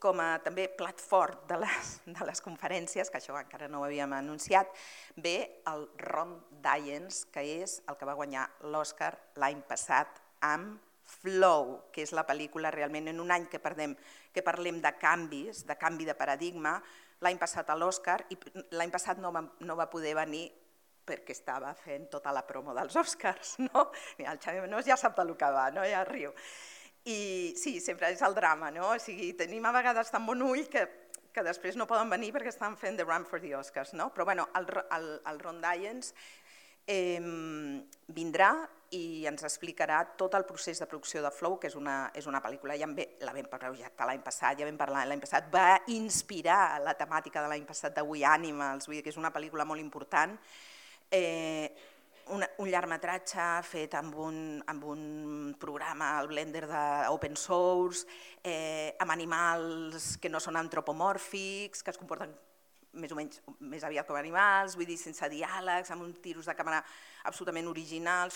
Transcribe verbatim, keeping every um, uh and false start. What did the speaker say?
com a també plat fort de les, de les conferències, que això encara no ho havíem anunciat, ve el Ron Dayens, que és el que va guanyar l'Oscar l'any passat amb Flow, que és la pel·lícula realment en un any que, perdem, que parlem de canvis, de canvi de paradigma. L'any passat a l'Oscar, i l'any passat no va, no va poder venir perquè estava fent tota la promo dels Oscars, no? Mira, el Xavi Menós ja sap del que va, no? Ja riu. I sí, sempre és el drama, no? O sigui, tenim a vegades tan bon ull que, que després no poden venir perquè estan fent The Run for the Oscars, no? Però bueno, el, el, el Ron Dayens eh, vindrà i ens explicarà tot el procés de producció de Flow, que és una, és una pel·lícula, ja ve, la vam projectar l'any passat, ja vam parlar l'any passat, va inspirar la temàtica de l'any passat de We Animals, vull dir que és una pel·lícula molt important, eh, un, un llargmetratge fet amb un, amb un programa, el Blender d'open source, eh, amb animals que no són antropomòrfics, que es comporten més o menys més aviat com animals, vull dir, sense diàlegs, amb uns tiros de càmera absolutament originals,